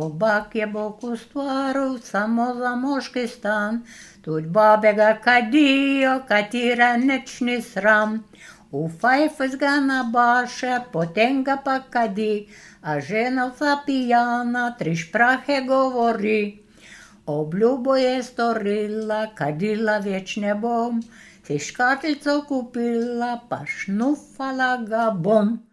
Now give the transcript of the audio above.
Собак je Бог у стварив, само за мошки стан. Тут бабега кадио, катира нечни срам. У файфис га на баше, потенга па кади, а женовца пияна, три шпрахе говори. Облюбо je storila, kadila već ne bom, si škatlico kupila, pa šnufala ga bom.